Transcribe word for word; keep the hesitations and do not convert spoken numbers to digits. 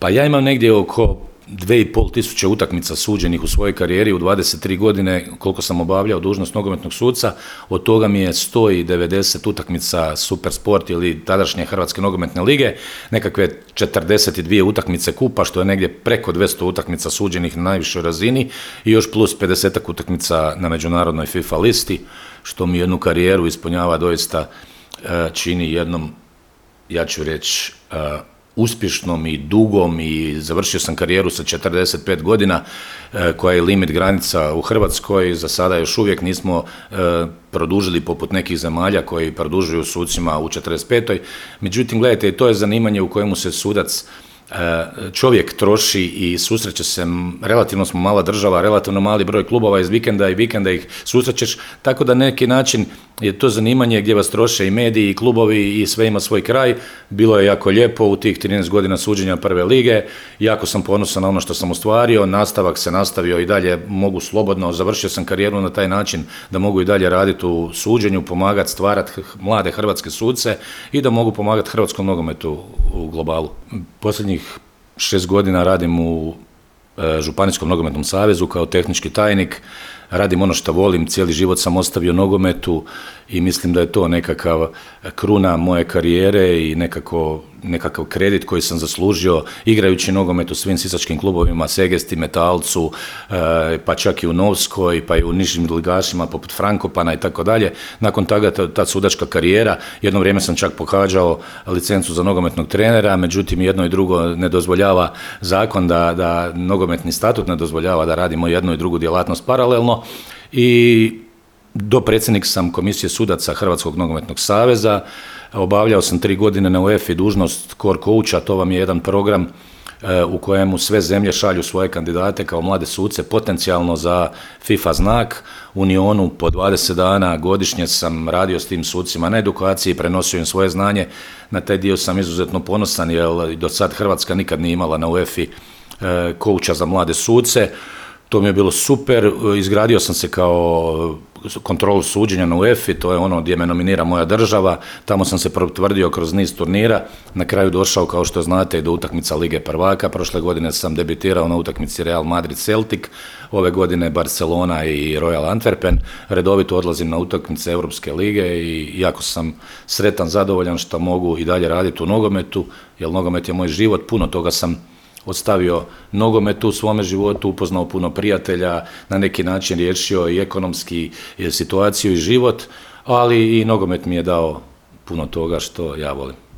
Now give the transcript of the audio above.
Pa ja imam negdje oko dve i pol tisuće utakmica suđenih u svojoj karijeri u dvadeset tri godine koliko sam obavljao dužnost nogometnog suca, od toga mi je sto devedeset utakmica Supersport ili tadašnje Hrvatske nogometne lige, nekakve četrdeset dvije utakmice kupa, što je negdje preko dvjesto utakmica suđenih na najvišoj razini i još plus pedeset utakmica na međunarodnoj FIFA listi, što mi jednu karijeru ispunjava doista, čini jednom, ja ću reći, uspješnom i dugom, i završio sam karijeru sa četrdeset pet godina, koja je limit granica u Hrvatskoj. Za sada još uvijek nismo produžili poput nekih zemalja koji produžuju sucima u četrdeset petoj. Međutim, gledajte, to je zanimanje u kojemu se sudac, čovjek troši i susreće se, relativno smo mala država, relativno mali broj klubova, iz vikenda i vikenda ih susrećeš, tako da na neki način je to zanimanje gdje vas troše i mediji i klubovi i sve ima svoj kraj. Bilo je jako lijepo u tih trinaest godina suđenja prve lige, jako sam ponosan na ono što sam ostvario, nastavak se nastavio i dalje, mogu slobodno, završio sam karijeru na taj način da mogu i dalje raditi u suđenju, pomagati, stvarati mlade hrvatske suce i da mogu pomagati hrvatskom nogometu u globalu. Posljednjih šest godina radim u Županijskom nogometnom savezu kao tehnički tajnik, radim ono što volim, cijeli život sam ostavio nogometu i mislim da je to nekakav kruna moje karijere i nekako, nekakav kredit koji sam zaslužio igrajući nogomet u svim sisačkim klubovima, Segesti, Metalcu, pa čak i u Novskoj, pa i u nižim ligašima poput Frankopana i tako dalje. Nakon toga ta sudačka karijera, jedno vrijeme sam čak pohađao licencu za nogometnog trenera, međutim jedno i drugo ne dozvoljava zakon, da, da nogometni statut ne dozvoljava da radimo jednu i drugu djelatnost paralelno. I dopredsjednik sam komisije sudaca Hrvatskog nogometnog saveza, obavljao sam tri godine na UEFA dužnost core coacha, to vam je jedan program u kojemu sve zemlje šalju svoje kandidate kao mlade suce potencijalno za FIFA znak. U Unionu po dvadeset dana godišnje sam radio s tim sucima na edukaciji, prenosio im svoje znanje. Na taj dio sam izuzetno ponosan jer do sad Hrvatska nikad nije imala na UEFA coacha za mlade suce. To mi je bilo super, izgradio sam se kao kontrolu suđenja na UEFA, to je ono gdje me nominira moja država, tamo sam se potvrdio kroz niz turnira, na kraju došao, kao što znate, do utakmica Lige prvaka. Prošle godine sam debitirao na utakmici Real Madrid Celtic, ove godine Barcelona i Royal Antwerpen, redovito odlazim na utakmice Europske lige i jako sam sretan, zadovoljan što mogu i dalje raditi u nogometu, jer nogomet je moj život, puno toga sam ostavio nogometu u svome životu, upoznao puno prijatelja, na neki način riješio i ekonomski situaciju i život, ali i nogomet mi je dao puno toga što ja volim.